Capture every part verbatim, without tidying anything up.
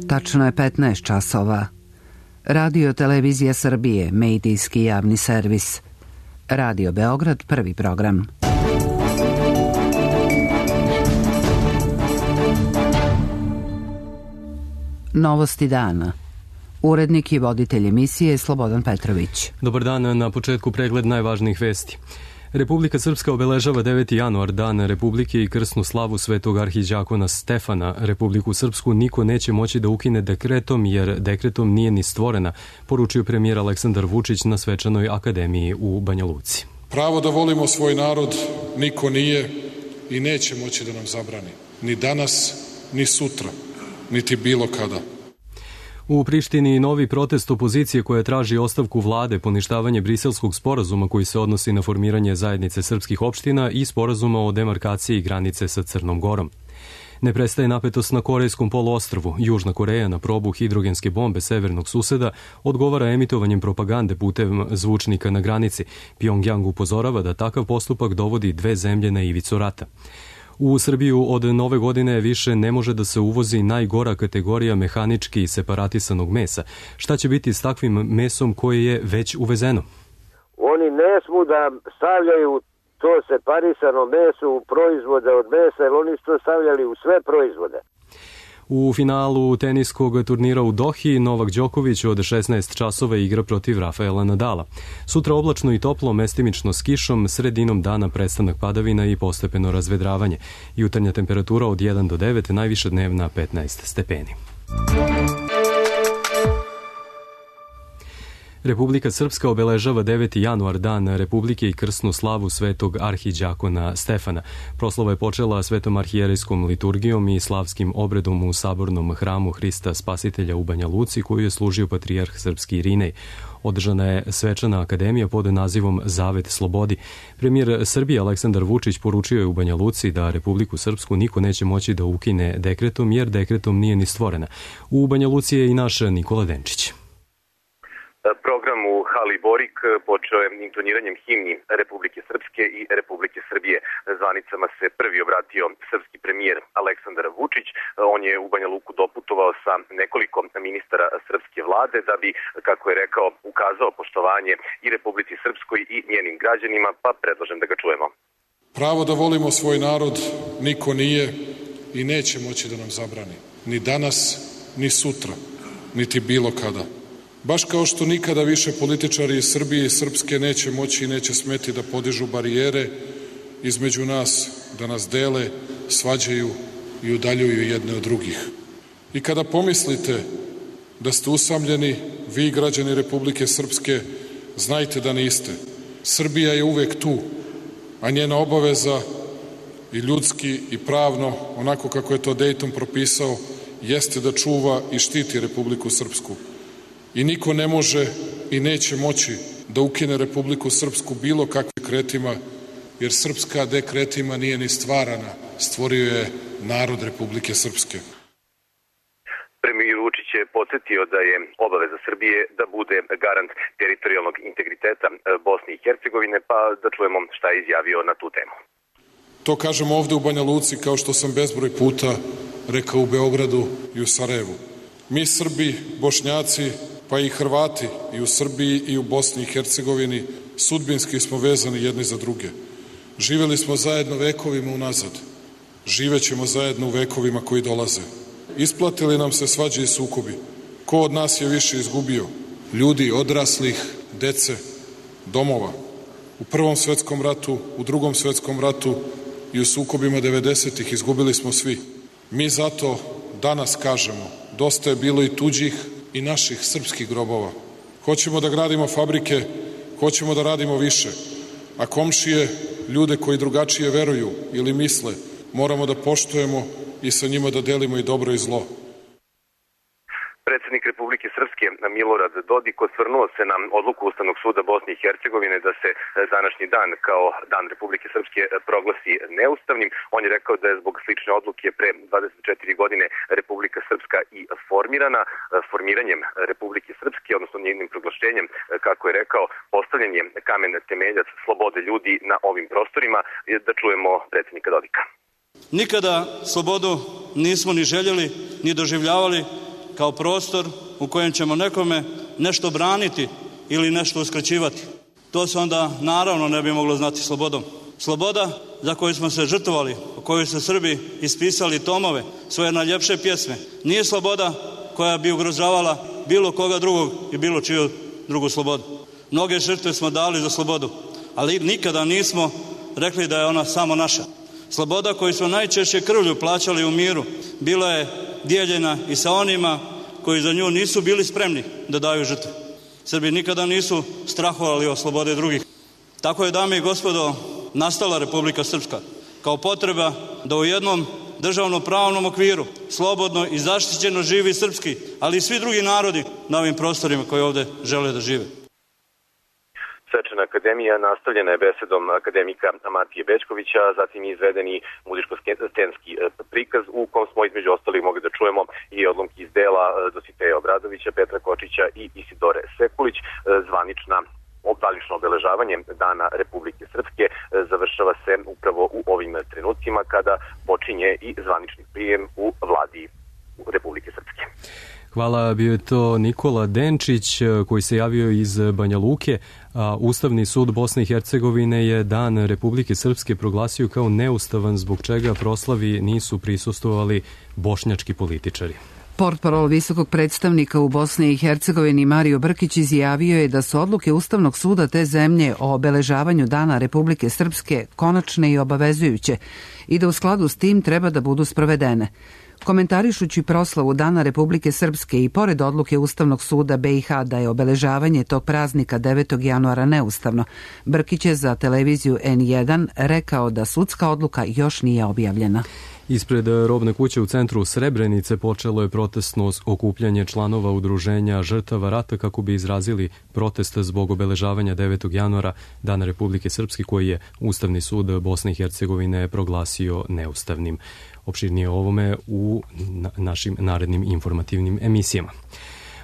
Tačno je petnaest časova. Radio Televizija Srbije, medijski javni servis. Radio Beograd, prvi program. Novosti dana. Urednik i voditelj emisije Slobodan Petrović. Dobar dan, na početku pregled najvažnijih vesti. Republika Srpska obeležava deveti januar, dan Republike i krsnu slavu svetog arhiđakona Stefana. Republiku Srpsku niko neće moći da ukine dekretom, jer dekretom nije ni stvorena, poručio premijer Aleksandar Vučić na svečanoj akademiji u Banja Luci. Pravo da volimo svoj narod niko nije i neće moći da nam zabrani. Ni danas, ni sutra, niti bilo kada. U Prištini novi protest opozicije koja traži ostavku vlade, poništavanje briselskog sporazuma koji se odnosi na formiranje zajednice srpskih opština i sporazuma o demarkaciji granice sa Crnom Gorom. Ne prestaje napetost na Korejskom poluostrvu. Južna Koreja na probu hidrogenske bombe severnog suseda odgovara emitovanjem propagande putem zvučnika na granici. Pjongjang upozorava da takav postupak dovodi dve zemlje na ivicu rata. U Srbiju od nove godine više ne može da se uvozi najgora kategorija mehanički separatisanog mesa. Šta će biti s takvim mesom koje je već uvezeno? Oni ne smu da stavljaju to separisano meso u proizvode od mesa, jer oni su to stavljali u sve proizvode. U finalu teniskog turnira u Dohi Novak Đoković od šesnaest časova igra protiv Rafaela Nadala. Sutra oblačno i toplo, mestimično s kišom, sredinom dana prestanak padavina i postepeno razvedravanje. Jutarnja temperatura od jedan do devet, najviša dnevna petnaest stepeni. Republika Srpska obeležava deveti januar, dan Republike i krsnu slavu svetog arhiđakona Stefana. Proslava je počela svetom arhijerejskom liturgijom i slavskim obredom u sabornom hramu Hrista Spasitelja u Banja Luci, koju je služio patrijarh srpski Irinej. Održana je svečana akademija pod nazivom Zavet slobodi. Premijer Srbije Aleksandar Vučić poručio je u Banja Luci da Republiku Srpsku niko neće moći da ukine dekretom, jer dekretom nije ni stvorena. U Banja Luci je i naš Nikola Denčić. Program u hali Borik počeo je intoniranjem himni Republike Srpske i Republike Srbije. Zvanicama se prvi obratio srpski premijer Aleksandar Vučić. On je u Banja Luku doputovao sa nekoliko ministara srpske vlade da bi, kako je rekao, ukazao poštovanje i Republici Srpskoj i njenim građanima, pa predlažem da ga čujemo. Pravo da volimo svoj narod niko nije i neće moći da nam zabrani. Ni danas, ni sutra, niti bilo kada. Baš kao što nikada više političari iz Srbije i Srpske neće moći i neće smeti da podižu barijere između nas, da nas dele, svađaju i udaljuju jedne od drugih. I kada pomislite da ste usamljeni, vi građani Republike Srpske, znajte da niste. Srbija je uvek tu, a njena obaveza i ljudski i pravno, onako kako je to Dejton propisao, jeste da čuva i štiti Republiku Srpsku. I niko ne može i neće moći da ukine Republiku Srpsku bilo kakvim dekretima, jer srpska dekretima nije ni stvarana, stvorio je narod Republike Srpske. Premijer Vučić je podsjetio da je obaveza Srbije da bude garant teritorijalnog integriteta Bosne i Hercegovine, pa da čujemo šta je izjavio na tu temu. To kažem ovde u Banja Luci, kao što sam bezbroj puta rekao u Beogradu i u Sarajevu. Mi Srbi, Bošnjaci, pa i Hrvati i u Srbiji i u Bosni i Hercegovini sudbinski smo vezani jedni za druge. Živeli smo zajedno vekovima unazad. Živećemo zajedno u vekovima koji dolaze. Isplatili nam se svađe i sukobi. Ko od nas je više izgubio? Ljudi odraslih, dece, domova. U Prvom svetskom ratu, u Drugom svetskom ratu i u sukobima devedesetih izgubili smo svi. Mi zato danas kažemo, dosta je bilo i tuđih i naših srpskih grobova. Hoćemo da gradimo fabrike, hoćemo da radimo više, a komšije, ljude koji drugačije veruju ili misle, moramo da poštujemo i sa njima da delimo i dobro i zlo. Predsednik Republike Srpske Milorad Dodik osvrnuo se na odluku Ustavnog suda Bosne i Hercegovine da se današnji dan kao Dan Republike Srpske proglasi neustavnim. On je rekao da je zbog slične odluke pre dvadeset četiri godine Republika Srpska i formirana. Formiranjem Republike Srpske, odnosno njenim proglašenjem, kako je rekao, postavljanjem kamen temeljac slobode ljudi na ovim prostorima. Da čujemo predsednika Dodika. Nikada slobodu nismo ni željeli, ni doživljavali kao prostor u kojem ćemo nekome nešto braniti ili nešto uskraćivati. To se onda naravno ne bi moglo znati slobodom. Sloboda za koju smo se žrtvovali, o kojoj su Srbi ispisali tomove, svoje najljepše pjesme, nije sloboda koja bi ugrožavala bilo koga drugog i bilo čiju drugu slobodu. Mnoge žrtve smo dali za slobodu, ali nikada nismo rekli da je ona samo naša. Sloboda koju smo najčešće krvlju plaćali u miru bila je dijeljena i sa onima koji za nju nisu bili spremni da daju žrtve. Srbi nikada nisu strahovali od slobode drugih. Tako je, dame i gospodo, nastala Republika Srpska kao potreba da u jednom državno-pravnom okviru slobodno i zaštićeno živi srpski, ali i svi drugi narodi na ovim prostorima koji ovde žele da žive. Svečana akademija nastavljena je besedom akademika Matije Bećkovića, zatim je izvedeni muzičko-scenski prikaz u kom smo između ostalih mogli da čujemo i odlomki iz dela Dositeja Obradovića, Petra Kočića i Isidore Sekulić. Zvanična zvanično obeležavanje Dana Republike Srpske završava se upravo u ovim trenucima kada počinje i zvanični prijem u vladi Republike Srpske. Hvala, bio je to Nikola Denčić koji se javio iz Banja Luke. Ustavni sud Bosne i Hercegovine je Dan Republike Srpske proglasio kao neustavan, zbog čega proslavi nisu prisustvovali bošnjački političari. Portparol visokog predstavnika u Bosni i Hercegovini Mario Brkić izjavio je da su odluke Ustavnog suda te zemlje o obeležavanju Dana Republike Srpske konačne i obavezujuće i da u skladu s tim treba da budu sprovedene. Komentarišući proslavu Dana Republike Srpske i pored odluke Ustavnog suda be i ha da je obeležavanje tog praznika devetog januara neustavno, Brkić je za televiziju en jedan rekao da sudska odluka još nije objavljena. Ispred robne kuće u centru Srebrenice počelo je protestno okupljanje članova udruženja žrtava rata kako bi izrazili protest zbog obeležavanja devetog januara Dana Republike Srpske koji je Ustavni sud Bosne i Hercegovine proglasio neustavnim. Opširnije o ovome u našim narednim informativnim emisijama.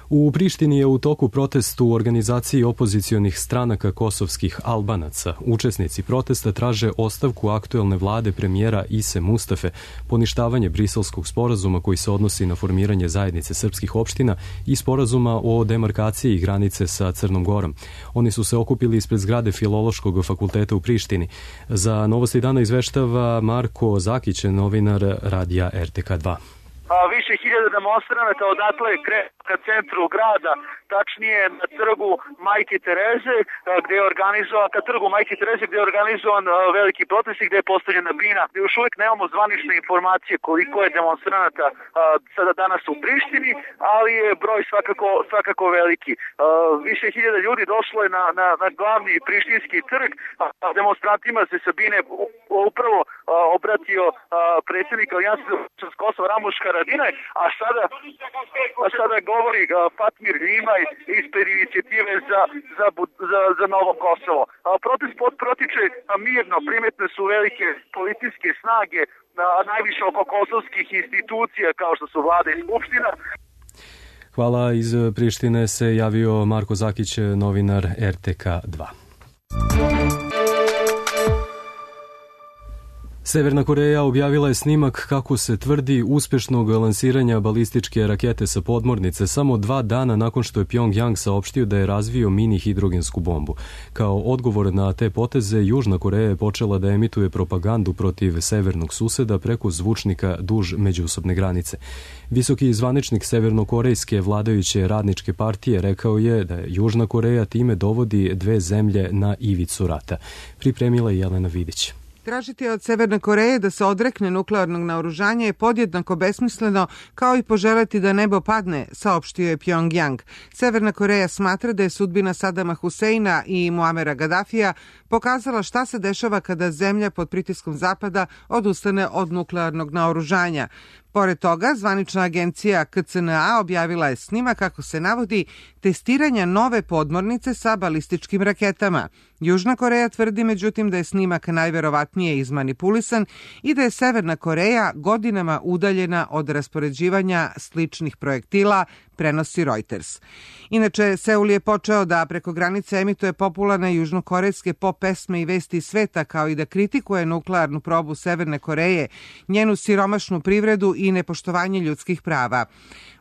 U Prištini je u toku protest u organizaciji opozicionih stranaka kosovskih Albanaca. Učesnici protesta traže ostavku aktuelne vlade premijera Ise Mustafe, poništavanje Briselskog sporazuma koji se odnosi na formiranje zajednice srpskih opština i sporazuma o demarkaciji granice sa Crnom Gorom. Oni su se okupili ispred zgrade Filološkog fakulteta u Prištini. Za Novosti dana izveštava Marko Zakić, novinar radija er te ka dva. Više hiljada demonstranata odatle kreće ka centru grada, tačnije na trgu Majke Tereze, gde je organizovan, ka trgu Majke Tereze gde je organizovan veliki protest i gde je postavljena bina. Još uvijek nemamo zvanične informacije koliko je demonstranata sada danas u Prištini, ali je broj svakako, svakako veliki. Više hiljada ljudi došlo je na, na, na glavni prištinski trg, a demonstrantima se sa bine upravo obratio predsjednik Alijanse za Kosovo Ramuš Haradinaj, a sada, a sada govori Fatmir Limaj ispred inicijative za, za, za, za Novo Kosovo. Protest protiče mirno, primetne su velike političke snage, najviše oko kosovskih institucija kao što su vlada i skupština. Hvala, iz Prištine se javio Marko Zakić, novinar er te ka dva. Severna Koreja objavila je snimak, kako se tvrdi, uspešnog lansiranja balističke rakete sa podmornice samo dva dana nakon što je Pjongjang saopštio da je razvio mini hidrogensku bombu. Kao odgovor na te poteze, Južna Koreja je počela da emituje propagandu protiv severnog suseda preko zvučnika duž međusobne granice. Visoki zvaničnik severnokorejske vladajuće radničke partije rekao je da Južna Koreja time dovodi dve zemlje na ivicu rata. Pripremila je Jelena Vidić. Tražiti od Severne Koreje da se odrekne nuklearnog naoružanja je podjednako besmisleno kao i poželeti da nebo padne, saopštio je Pjongjang. Severna Koreja smatra da je sudbina Sadama Huseina i Muamera Gaddafija pokazala šta se dešava kada zemlja pod pritiskom Zapada odustane od nuklearnog naoružanja. Pored toga, zvanična agencija ka ce en a objavila je snimak, kako se navodi, testiranja nove podmornice sa balističkim raketama. Južna Koreja tvrdi međutim da je snimak najverovatnije izmanipulisan i da je Severna Koreja godinama udaljena od raspoređivanja sličnih projektila, prenosi Reuters. Inače, Seul je počeo da preko granice emituje popularne južnokorejske pop pesme i vesti sveta, kao i da kritikuje nuklearnu probu Severne Koreje, njenu siromašnu privredu i nepoštovanje ljudskih prava.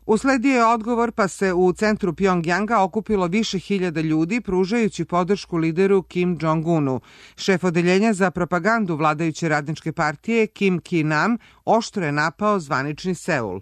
Usledio je odgovor pa se u centru Pjongjanga okupilo više hiljada ljudi pružajući podršku lideru Kim Jong-unu. Šef odeljenja za propagandu vladajuće radničke partije Kim Ki-nam oštro je napao zvanični Seul.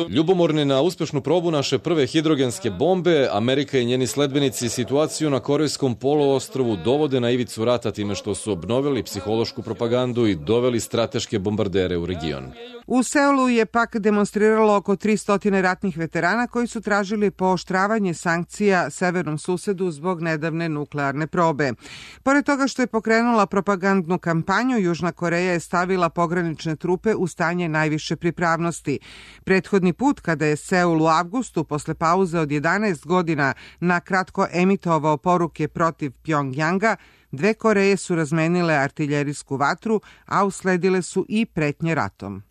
Ljubomorni na uspešnu probu naše prve hidrogenske bombe, Amerika i njeni sledbenici situaciju na Korejskom poluostrvu dovode na ivicu rata time što su obnovili psihološku propagandu i doveli strateške bombardere u region. U Seulu je pak demonstriralo oko tristo ratnih veterana koji su tražili pooštravanje sankcija severnom susedu zbog nedavne nuklearne probe. Pored toga što je pokrenula propagandnu kampanju, Južna Koreja je stavila pogranične trupe u stanje najviše pripravnosti. Prethodni put, kada je Seul u avgustu, posle pauze od jedanaest godina, na kratko emitovao poruke protiv Pjongjanga, dve Koreje su razmenile artiljerijsku vatru, a usledile su i pretnje ratom.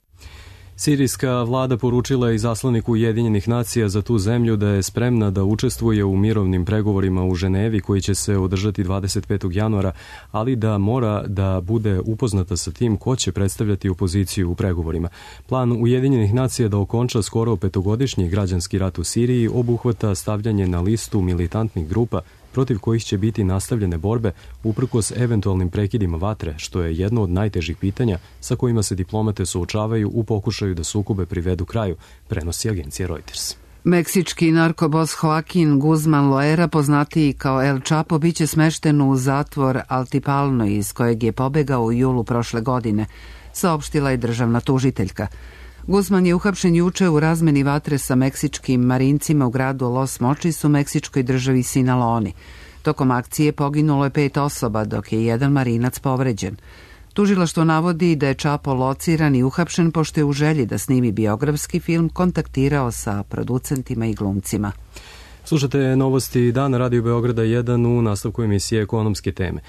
Sirijska vlada poručila je izaslaniku Ujedinjenih nacija za tu zemlju da je spremna da učestvuje u mirovnim pregovorima u Ženevi koji će se održati dvadeset petog januara, ali da mora da bude upoznata sa tim ko će predstavljati opoziciju u pregovorima. Plan Ujedinjenih nacija da okonča skoro petogodišnji građanski rat u Siriji obuhvata stavljanje na listu militantnih grupa protiv kojih će biti nastavljene borbe uprkos eventualnim prekidima vatre, što je jedno od najtežih pitanja sa kojima se diplomate suočavaju u pokušaju da sukobe privedu kraju, prenosi agencija Reuters. Meksički narkobos Joaquin Guzman Loera, poznatiji kao El Chapo, biće smešten u zatvor Altipalno iz kojeg je pobegao u julu prošle godine, saopštila je državna tužiteljka. Guzman je uhapšen juče u razmeni vatre sa meksičkim marincima u gradu Los Mochis u meksičkoj državi Sinaloa. Tokom akcije poginulo je pet osoba, dok je jedan marinac povređen. Tužilaštvo navodi da je Chapo lociran i uhapšen pošto je u želji da snimi biografski film kontaktirao sa producentima i glumcima. Slušate novosti Dana Radio Beograda jedan u nastavku emisije Ekonomske teme.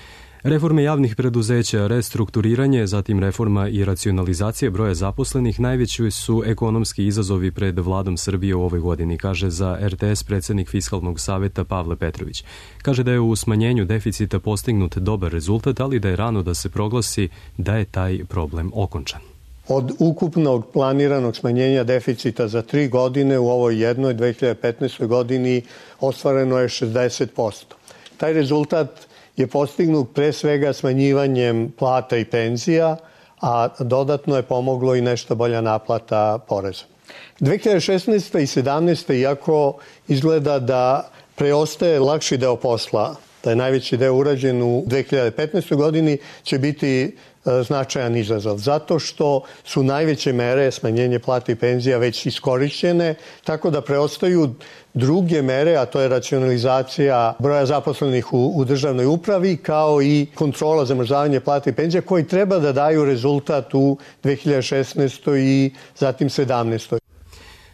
Reforme javnih preduzeća, restrukturiranje, zatim reforma i racionalizacija broja zaposlenih najveći su ekonomski izazovi pred vladom Srbije u ovoj godini, kaže za R T S predsjednik Fiskalnog saveta Pavle Petrović. Kaže da je u smanjenju deficita postignut dobar rezultat, ali da je rano da se proglasi da je taj problem okončan. Od ukupnog planiranog smanjenja deficita za tri godine u ovoj jednoj dve hiljade petnaestoj godini ostvareno je šezdeset posto. Taj rezultat je postignut pre svega smanjivanjem plata i penzija, a dodatno je pomoglo i nešto bolja naplata poreza. dve hiljade šesnaeste. i sedamnaeste. iako izgleda da preostaje lakši deo posla, da je najveći deo urađen u dve hiljade petnaestoj. godini, će biti značajan izazov, zato što su najveće mere smanjenje plata i penzija već iskorišćene, tako da preostaju druge mere, a to je racionalizacija broja zaposlenih u, u državnoj upravi, kao i kontrola zamrzavanja plata i penzija, koji treba da daju rezultat u dve hiljade šesnaestoj. i zatim sedamnaestoj.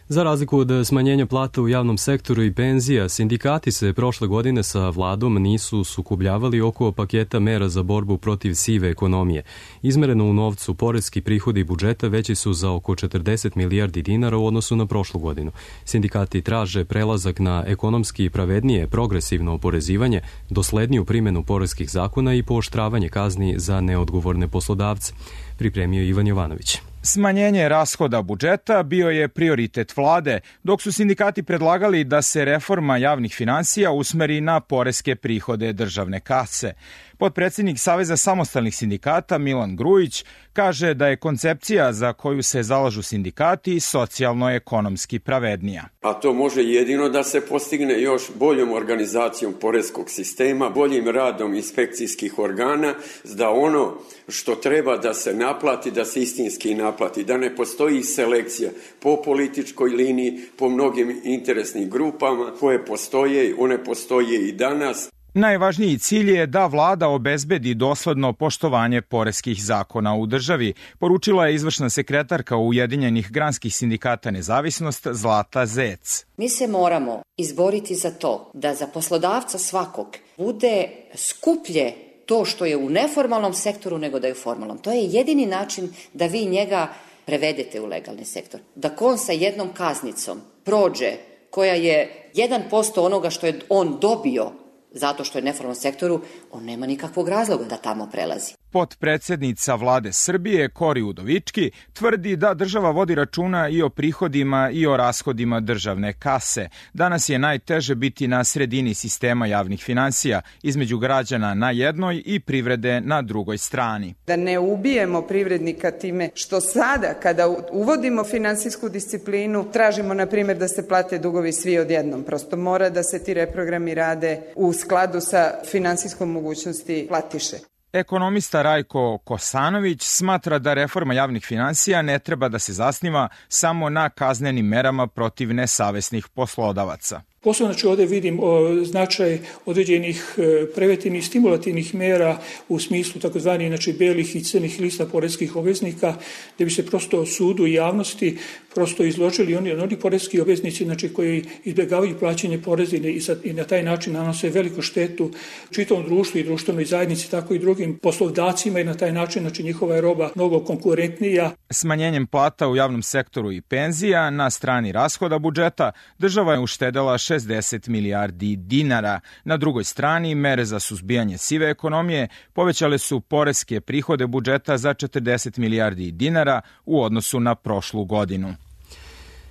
Za razliku od smanjenja plata u javnom sektoru i penzija, sindikati se prošle godine sa vladom nisu sukobljavali oko paketa mera za borbu protiv sive ekonomije. Izmereno u novcu, poreski prihodi budžeta veći su za oko četrdeset milijardi dinara u odnosu na prošlu godinu. Sindikati traže prelazak na ekonomski pravednije progresivno oporezivanje, dosledniju primjenu poreskih zakona i pooštravanje kazni za neodgovorne poslodavce, pripremio Ivan Jovanović. Smanjenje rashoda budžeta bio je prioritet vlade, dok su sindikati predlagali da se reforma javnih finansija usmeri na poreske prihode državne kase. Potpredsjednik Saveza samostalnih sindikata Milan Grujić kaže da je koncepcija za koju se zalažu sindikati socijalno-ekonomski pravednija. A to može jedino da se postigne još boljom organizacijom poreskog sistema, boljim radom inspekcijskih organa, da ono što treba da se naplati, da se istinski naplati, da ne postoji selekcija po političkoj liniji, po mnogim interesnim grupama koje postoje, one postoje i danas. Najvažniji cilj je da vlada obezbedi dosledno poštovanje poreskih zakona u državi, poručila je izvršna sekretarka Ujedinjenih granskih sindikata Nezavisnost Zlata Zec. Mi se moramo izboriti za to da za poslodavca svakog bude skuplje to što je u neformalnom sektoru nego da je u formalnom. To je jedini način da vi njega prevedete u legalni sektor. Da on sa jednom kaznicom prođe koja je jedan posto onoga što je on dobio zato što je u neformalnom sektoru, on nema nikakvog razloga da tamo prelazi. Potpredsednica vlade Srbije, Kori Udovički, tvrdi da država vodi računa i o prihodima i o rashodima državne kase. Danas je najteže biti na sredini sistema javnih finansija, između građana na jednoj i privrede na drugoj strani. Da ne ubijemo privrednika time što sada, kada uvodimo finansijsku disciplinu, tražimo, na primjer, da se plate dugovi svi odjednom. Prosto mora da se ti reprogrami rade u skladu sa finansijskom mogućnosti platiše. Ekonomista Rajko Kosanović smatra da reforma javnih finansija ne treba da se zasniva samo na kaznenim merama protiv nesavesnih poslodavaca. Posebno znači ovdje vidim o, značaj određenih e, preventivnih stimulativnih mera u smislu takozvanih znači belih i crnih lista poreskih obveznika, gdje bi se prosto sudu i javnosti prosto izložili oni, oni poreski obveznici znači koji izbjegavaju plaćanje poreza i, i na taj način nanose veliku štetu čitavom društvu i društvenoj zajednici, tako i drugim poslodavcima i na taj način znači njihova je roba mnogo konkurentnija. Smanjenjem plata u javnom sektoru i penzija na strani rashoda budžeta država je uštedela šezdeset milijardi dinara. Na drugoj strani, mere za suzbijanje sive ekonomije povećale su poreske prihode budžeta za četrdeset milijardi dinara u odnosu na prošlu godinu.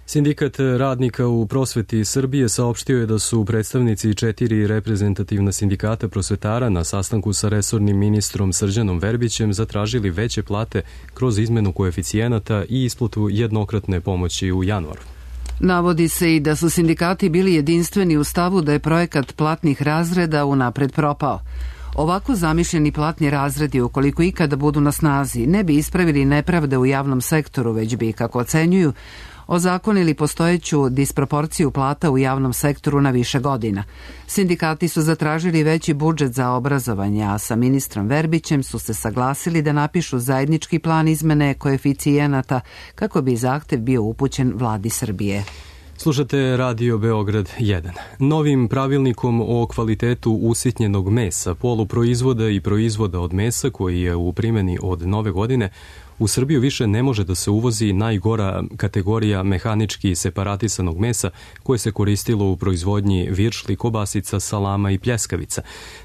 Sindikat radnika u prosveti Srbije saopštio je da su predstavnici četiri reprezentativna sindikata prosvetara na sastanku sa resornim ministrom Srđanom Verbićem zatražili veće plate kroz izmenu koeficijenata i isplatu jednokratne pomoći u januaru. Navodi se i da su sindikati bili jedinstveni u stavu da je projekat platnih razreda unapred propao. Ovako zamišljeni platni razredi, ukoliko ikada budu na snazi, ne bi ispravili nepravde u javnom sektoru, već bi, kako ocenjuju, ozakonili postojeću disproporciju plata u javnom sektoru na više godina. Sindikati su zatražili veći budžet za obrazovanje, a sa ministrom Verbićem su se saglasili da napišu zajednički plan izmene koeficijenata kako bi zahtev bio upućen vladi Srbije. Slušate Radio Beograd jedan. Novim pravilnikom o kvalitetu usitnjenog mesa, poluproizvoda i proizvoda od mesa koji je u primjeni od nove godine, u Srbiju više ne može da se uvozi najgora kategorija mehanički separatisanog mesa koje se koristilo u proizvodnji viršli, kobasica, salama i pljeskavica.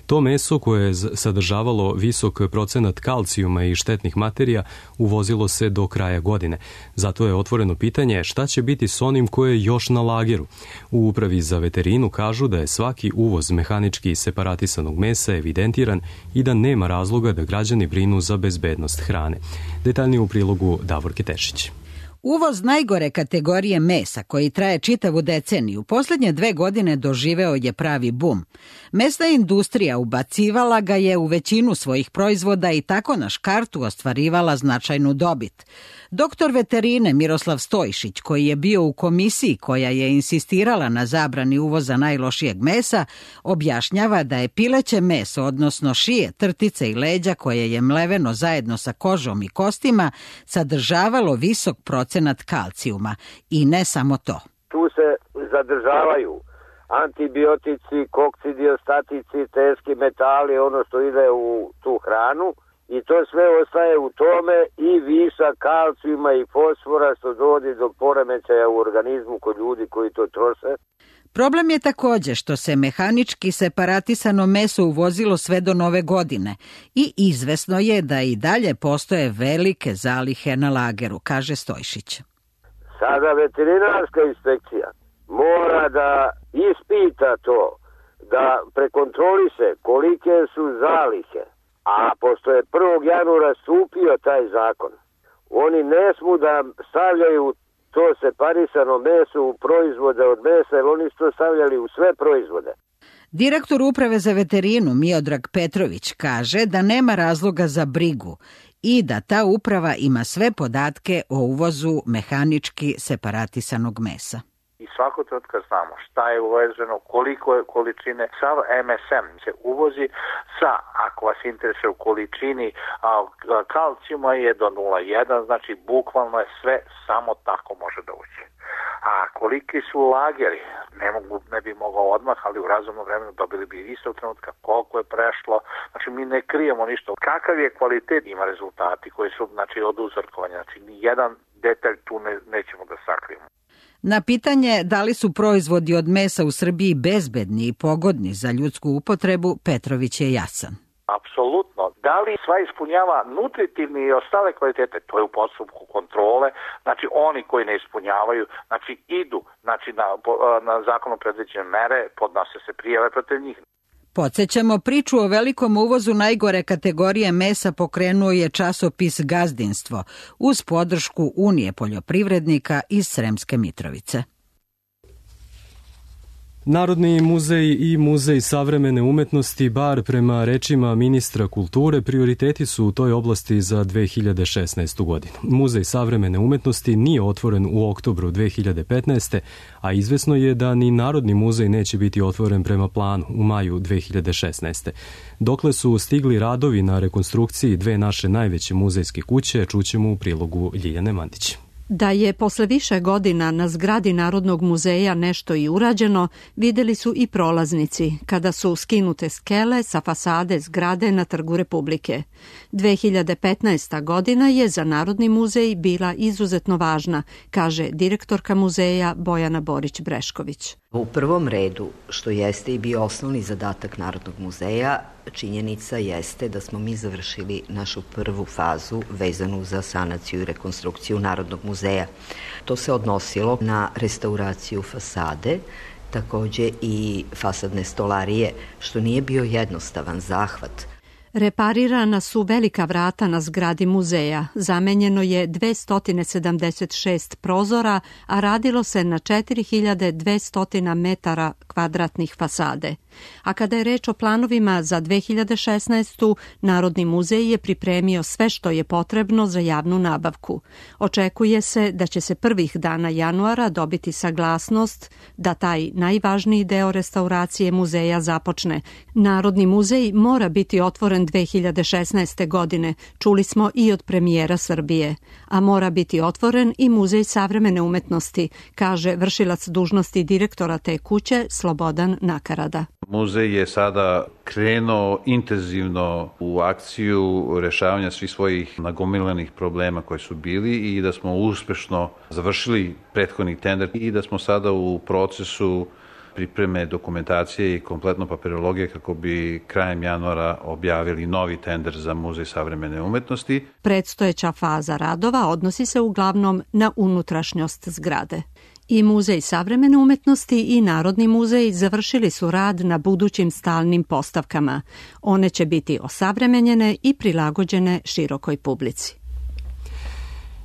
To meso koje je sadržavalo visok procenat kalcijuma i štetnih materija uvozilo se do kraja godine. Zato je otvoreno pitanje šta će biti s onim koje je još na lageru. U Upravi za veterinu kažu da je svaki uvoz mehanički separatisanog mesa evidentiran i da nema razloga da građani brinu za bezbednost hrane. Detaljnije u prilogu Davorke Tešić. Uvoz najgore kategorije mesa, koji traje čitavu deceniju, posljednje dve godine doživeo je pravi bum. Mesna industrija ubacivala ga je u većinu svojih proizvoda i tako na škartu ostvarivala značajnu dobit. Doktor veterine Miroslav Stojšić, koji je bio u komisiji koja je insistirala na zabrani uvoza najlošijeg mesa, objašnjava da je pileće meso, odnosno šije, trtice i leđa koje je mleveno zajedno sa kožom i kostima, sadržavalo visok procenat kalcijuma. I ne samo to. Tu se zadržavaju antibiotici, koksidiostatici, teški metali, ono što ide u tu hranu. I to sve ostaje u tome i višak kalcijuma i fosfora što dovodi do poremećaja u organizmu kod ljudi koji to troše. Problem je također što se mehanički separatisano meso uvozilo sve do nove godine i izvesno je da i dalje postoje velike zalihe na lageru, kaže Stojšić. Sada veterinarska inspekcija mora da ispita to, da prekontroliše kolike su zalihe. A pošto je prvog januara stupio taj zakon, oni ne smu da stavljaju to separisano meso u proizvode od mesa, jer oni su to stavljali u sve proizvode. Direktor Uprave za veterinu Miodrag Petrović kaže da nema razloga za brigu i da ta uprava ima sve podatke o uvozu mehanički separatisanog mesa. I svako trenutka znamo šta je uvezeno, koliko je količine, sav em es em se uvozi sa, ako vas interesuje u količini a, kalcijuma je do nula zarez jedan, znači bukvalno je sve samo tako može da uđe. A koliki su lageri, ne, mogu, ne bi mogao odmah, ali u razumnom vremenu dobili bi istog trenutka koliko je prešlo, znači mi ne krijemo ništa. Kakav je kvalitet, ima rezultati koji su znači, od uzorkovanja, znači ni jedan detalj tu ne, nećemo da sakrijemo. Na pitanje da li su proizvodi od mesa u Srbiji bezbedni i pogodni za ljudsku upotrebu, Petrović je jasan. Apsolutno. Da li sva ispunjava nutritivni i ostale kvalitete? To je u postupku kontrole. Znači, oni koji ne ispunjavaju, znači, idu znači, na, na zakonom predviđene mere, podnose se prijave protiv njih. Podsećamo, priču o velikom uvozu najgore kategorije mesa pokrenuo je časopis Gazdinstvo uz podršku Unije poljoprivrednika iz Sremske Mitrovice. Narodni muzej i Muzej savremene umetnosti, bar prema rečima ministra kulture, prioriteti su u toj oblasti za dve hiljade šesnaestu. godinu. Muzej savremene umetnosti nije otvoren u oktobru dve hiljade petnaeste. a izvesno je da ni Narodni muzej neće biti otvoren prema planu u maju dve hiljade šesnaeste. Dokle su stigli radovi na rekonstrukciji dve naše najveće muzejske kuće, čućemo u prilogu Ljiljane Mandić. Da je posle više godina na zgradi Narodnog muzeja nešto i urađeno, videli su i prolaznici, kada su skinute skele sa fasade zgrade na Trgu Republike. dve hiljade petnaesta. godina je za Narodni muzej bila izuzetno važna, kaže direktorka muzeja Bojana Borić-Brešković. U prvom redu, što jeste i bio osnovni zadatak Narodnog muzeja, činjenica jeste da smo mi završili našu prvu fazu vezanu za sanaciju i rekonstrukciju Narodnog muzeja. To se odnosilo na restauraciju fasade, takođe i fasadne stolarije, što nije bio jednostavan zahvat. Reparirana su velika vrata na zgradi muzeja, zamenjeno je dvesta sedamdeset šest prozora, a radilo se na četiri hiljade dvesta metara kvadratnih fasade. A kada je reč o planovima za dve hiljade šesnaestu. Narodni muzej je pripremio sve što je potrebno za javnu nabavku. Očekuje se da će se prvih dana januara dobiti saglasnost da taj najvažniji deo restauracije muzeja započne. Narodni muzej mora biti otvoren dve hiljade šesnaeste. godine, čuli smo i od premijera Srbije, a mora biti otvoren i Muzej savremene umetnosti, kaže vršilac dužnosti direktora te kuće Slobodan Nakarada. Muzej je sada krenuo intenzivno u akciju rešavanja svih svojih nagomilanih problema koji su bili i da smo uspešno završili prethodni tender i da smo sada u procesu pripreme dokumentacije i kompletno papirologije kako bi krajem januara objavili novi tender za Muzej savremene umetnosti. Predstojeća faza radova odnosi se uglavnom na unutrašnjost zgrade. I Muzej savremene umetnosti i Narodni muzej završili su rad na budućim stalnim postavkama. One će biti osavremenjene i prilagođene širokoj publici.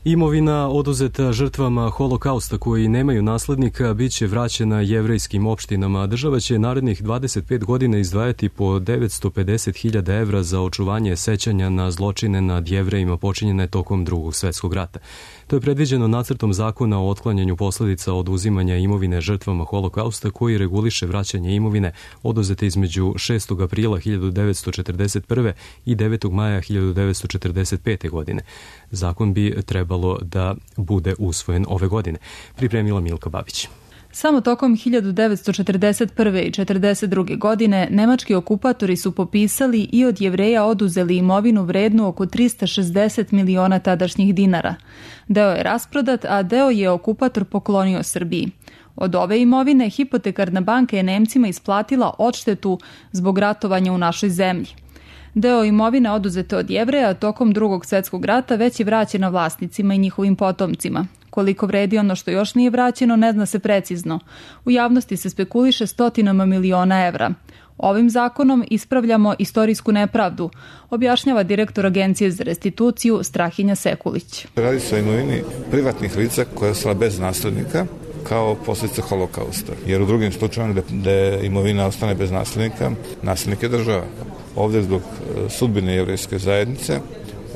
Imovina oduzeta žrtvama holokausta koji nemaju naslednika bit će vraćena jevrejskim opštinama. Država će narednih dvadeset pet godina izdvajati po devetsto pedeset hiljada evra za očuvanje sećanja na zločine nad Jevrejima počinjene tokom Drugog svetskog rata. To je predviđeno nacrtom zakona o otklanjanju posledica oduzimanja imovine žrtvama holokausta koji reguliše vraćanje imovine oduzete između šestog aprila hiljadu devetsto četrdeset prve. i devetog maja hiljadu devetsto četrdeset pete. godine. Zakon bi trebalo da bude usvojen ove godine. Pripremila Milka Babić. Samo tokom hiljadu devetsto četrdeset prve. i četrdeset druge. godine nemački okupatori su popisali i od Jevreja oduzeli imovinu vrednu oko trista šezdeset miliona tadašnjih dinara. Deo je rasprodat, a deo je okupator poklonio Srbiji. Od ove imovine hipotekarna banka je Nemcima isplatila odštetu zbog ratovanja u našoj zemlji. Deo imovine oduzete od Jevreja tokom Drugog svetskog rata već je vraćena vlasnicima i njihovim potomcima. Koliko vredi ono što još nije vraćeno, ne zna se precizno. U javnosti se spekuliše stotinama miliona evra. Ovim zakonom ispravljamo istorijsku nepravdu, objašnjava direktor Agencije za restituciju Strahinja Sekulić. Radi se o imovini privatnih lica koja je ostala bez naslednika kao posljedica holokausta. Jer u drugim slučajevima gde imovina ostane bez naslednika, naslednik je država. Ovdje zbog sudbine jevrejske zajednice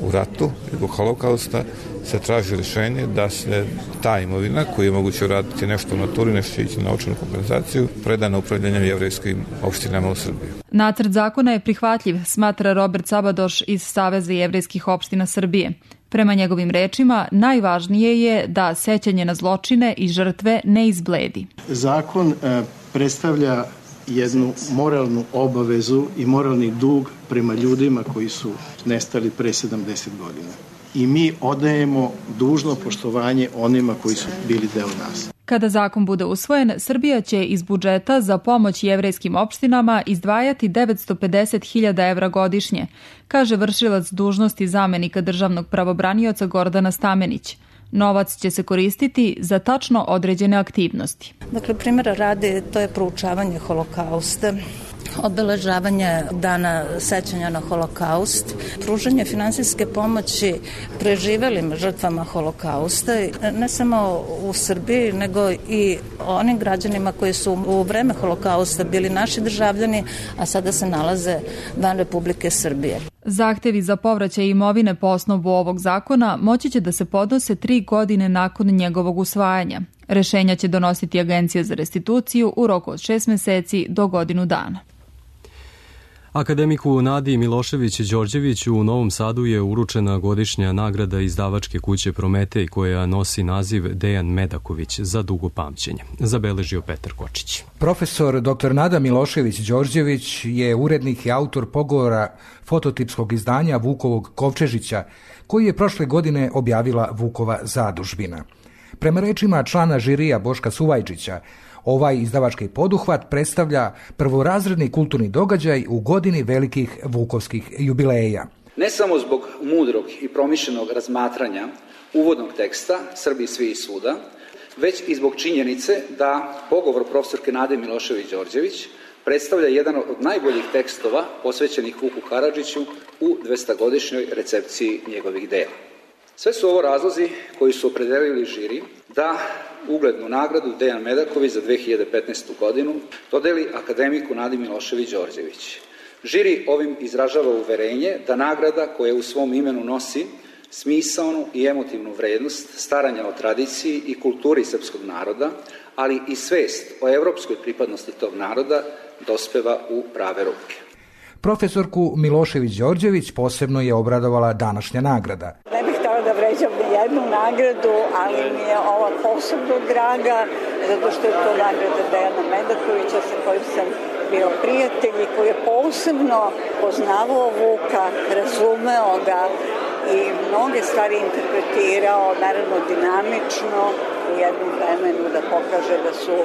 u ratu i zbog holokausta se traži rješenje da se ta imovina koju je moguće uraditi nešto u naturi, nešto će ići na novčanu kompenzaciju, preda na upravljanje jevrejskim opštinama u Srbiji. Nacrt zakona je prihvatljiv, smatra Robert Sabadoš iz Saveza jevrejskih opština Srbije. Prema njegovim rečima, najvažnije je da sećanje na zločine i žrtve ne izbledi. Zakon e, predstavlja jednu moralnu obavezu i moralni dug prema ljudima koji su nestali pre sedamdeset godina. i mi odajemo dužno poštovanje onima koji su bili deo nas. Kada zakon bude usvojen, Srbija će iz budžeta za pomoć jevrejskim opštinama izdvajati devetsto pedeset hiljada evra godišnje, kaže vršilac dužnosti zamenika državnog pravobranioca Gordana Stamenić. Novac će se koristiti za tačno određene aktivnosti. Dakle, primjera radi, to je proučavanje holokausta, obeležavanje dana sećanja na holokaust, pružanje finansijske pomoći preživelim žrtvama holokausta, ne samo u Srbiji, nego i onim građanima koji su u vreme holokausta bili naši državljani, a sada se nalaze van Republike Srbije. Zahtevi za povraćaj imovine po osnovu ovog zakona moći će da se podnose tri godine nakon njegovog usvajanja. Rešenja će donositi Agencija za restituciju u roku od šest meseci do godinu dana. Akademiku Nadi Milošević-Đorđević u Novom Sadu je uručena godišnja nagrada izdavačke kuće Prometej koja nosi naziv Dejan Medaković za dugo pamćenje, zabeležio Petar Kočić. Profesor doktor Nada Milošević-Đorđević je urednik i autor pogovora fototipskog izdanja Vukovog Kovčežića koji je prošle godine objavila Vukova zadužbina. Prema rečima člana žirija Boška Suvajčića, ovaj izdavački poduhvat predstavlja prvorazredni kulturni događaj u godini velikih vukovskih jubileja. Ne samo zbog mudrog i promišljenog razmatranja uvodnog teksta Srbi svi i svuda, već i zbog činjenice da pogovor profesorke Nade Milošević-Đorđević predstavlja jedan od najboljih tekstova posvećenih Vuku Karadžiću u dvestogodišnjoj recepciji njegovih dela. Sve su ovo razlozi koji su opredelili žiri da uglednu nagradu Dejan Medaković za dve hiljade petnaestu godinu dodeli akademiku Nadi Milošević-Đorđević. Žiri ovim izražava uverenje da nagrada koja u svom imenu nosi smisaonu i emotivnu vrednost staranja o tradiciji i kulturi srpskog naroda, ali i svest o evropskoj pripadnosti tog naroda dospeva u prave ruke. Profesorku Milošević-Đorđević posebno je obradovala današnja nagrada. Ne bih htjela da vređam ni jednu nagradu, ali mi je ova posebno draga, zato što je to nagrada Dejana Medakovića sa kojim sam bio prijatelj i koji je posebno poznavao Vuka, razumeo ga i mnoge stvari interpretirao, naravno dinamično, u jednom vremenu da pokaže da su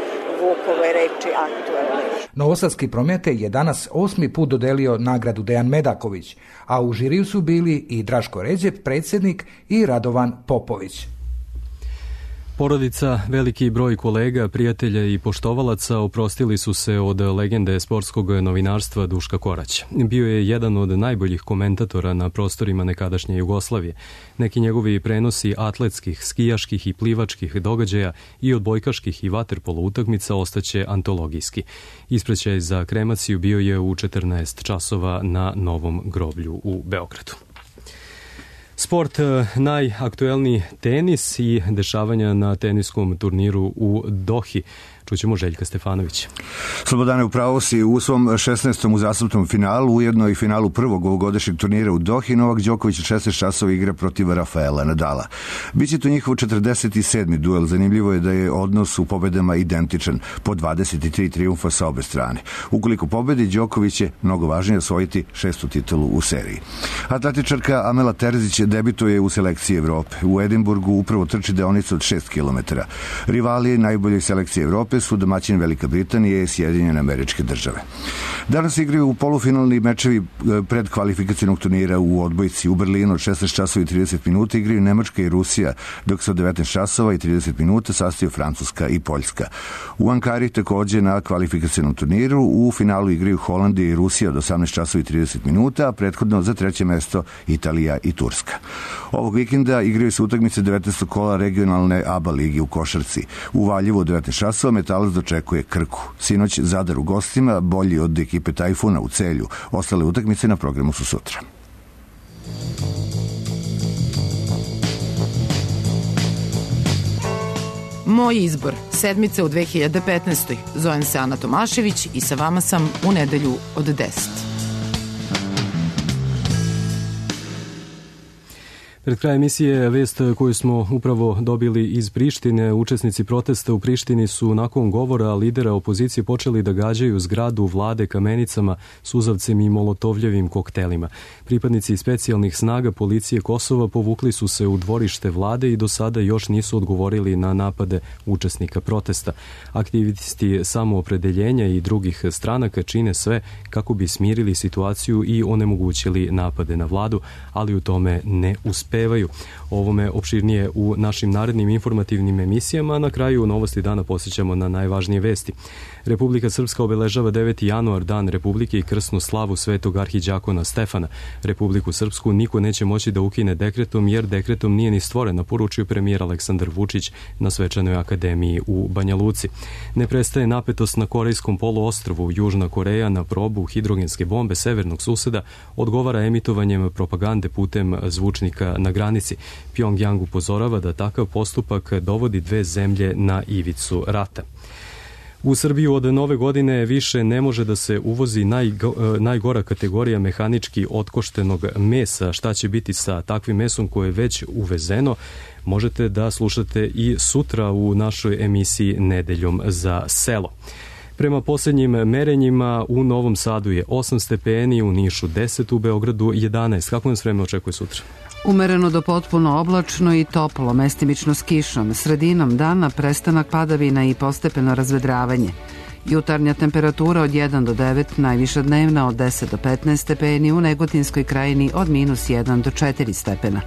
Vukove reči aktualne. Novosadski Prometej je danas osmi put dodelio nagradu Dejan Medaković, a u žiriju su bili i Draško Ređep, predsjednik, i Radovan Popović. Porodica, veliki broj kolega, prijatelja i poštovalaca oprostili su se od legende sportskog novinarstva Duška Koraća. Bio je jedan od najboljih komentatora na prostorima nekadašnje Jugoslavije. Neki njegovi prenosi atletskih, skijaških i plivačkih događaja i odbojkaških i vaterpolo utakmica ostaće antologijski. Ispraćaj za kremaciju bio je u četrnaest časova na Novom groblju u Beogradu. Sport, najaktuelniji tenis i dešavanja na teniskom turniru u Dohi. Čućemo Željka Stefanovića. Slobodane, upravo si u svom šesnaestom uzastopnom finalu, ujedno i finalu prvog ovogodišnjeg turnira u Dohi, Novak Đoković u šesnaest časova igra protiv Rafaela Nadala. Biće to njihov četrdeset sedmi duel. Zanimljivo je da je odnos u pobedama identičan, po dvadeset tri trijumfa sa obe strane. Ukoliko pobedi, Đoković je mnogo važnije osvojiti šestu titulu u seriji. Atletičarka Amela Terzić debituje u selekciji Evrope. U Edinburgu upravo trči deonicu od šest kilometara. Rivali najboljoj selekcije Evrope su domaćin Velika Britanija i Sjedinjene Američke Države. Danas igraju u polufinalni mečevi pred kvalifikacionog turnira u odbojci u Berlinu od šesnaest časova i trideset minuta igraju Nemačka i Rusija, dok se od devetnaest časova i trideset minuta sastaju Francuska i Poljska. U Ankari takođe na kvalifikacionom turniru u finalu igraju Holandija i Rusija od osamnaest časova i trideset minuta, a prethodno za treće mesto Italija i Turska. Ovog vikenda igraju se utakmice devetnaestog kola regionalne A B A ligi u košarci. U Valjevu od devetnaest časova Metalac dočekuje Krku. Sinoć Zadar u gostima, bolji od ekipe Tajfuna u Celju. Ostale utakmice na programu su sutra. Moj izbor, sedmice u dve hiljade petnaestoj. Zovem se Ana Tomašević i sa vama sam u nedelju od deset. Pred krajem emisije vest koju smo upravo dobili iz Prištine. Učesnici protesta u Prištini su nakon govora lidera opozicije počeli da gađaju zgradu vlade kamenicama, suzavcem i molotovljevim koktelima. Pripadnici specijalnih snaga policije Kosova povukli su se u dvorište vlade i do sada još nisu odgovorili na napade učesnika protesta. Aktivisti samoopredeljenja i drugih stranaka čine sve kako bi smirili situaciju i onemogućili napade na vladu, ali u tome ne uspevaju. Ovome opširnije u našim narednim informativnim emisijama. Na kraju novosti dana posjećamo na najvažnije vesti. Republika Srpska obeležava deveti januar, dan Republike i krsnu slavu svetog arhiđakona Stefana. Republiku Srpsku niko neće moći da ukine dekretom, jer dekretom nije ni stvorena, poručio premijer Aleksandar Vučić na svečanoj akademiji u Banja Luci. Ne prestaje napetost na Korejskom poluostrvu. Južna Koreja na probu hidrogenske bombe severnog suseda odgovara emitovanjem propagande putem zvučnika na granici. Pjongjang upozorava da takav postupak dovodi dve zemlje na ivicu rata. U Srbiju od nove godine više ne može da se uvozi najgo, najgora kategorija mehanički otkoštenog mesa. Šta će biti sa takvim mesom koje je već uvezeno? Možete da slušate i sutra u našoj emisiji Nedeljom za selo. Prema posljednjim merenjima u Novom Sadu je osam stepeni, u Nišu deset, u Beogradu jedanaest. Kako nas vreme očekuje sutra? Umereno do potpuno oblačno i toplo, mestimično s kišom. Sredinom dana prestanak padavina i postepeno razvedravanje. Jutarnja temperatura od jedan do devet, najviša dnevna od deset do petnaest stepeni, u Negotinskoj krajini od minus jedan do četiri stepena.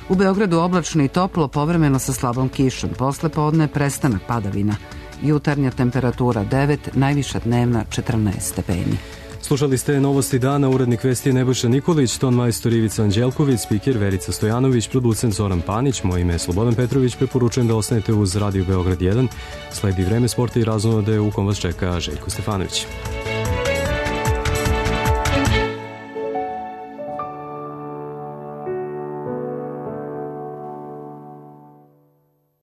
U Beogradu oblačno i toplo, povremeno sa slabom kišom. Posle podne prestanak padavina. Jutarnja temperatura devet, najviša dnevna četrnaest stepeni. Slušali ste novosti dana, urednik vesti Nebojša Nikolić, ton majstor Ivica Anđelković, spiker Verica Stojanović, producent Zoran Panić, moje ime je Slobodan Petrović, preporučujem da ostanete uz Radio Beograd jedan. Sledi vreme sporta i razonode u kom vas čeka Željko Stefanović.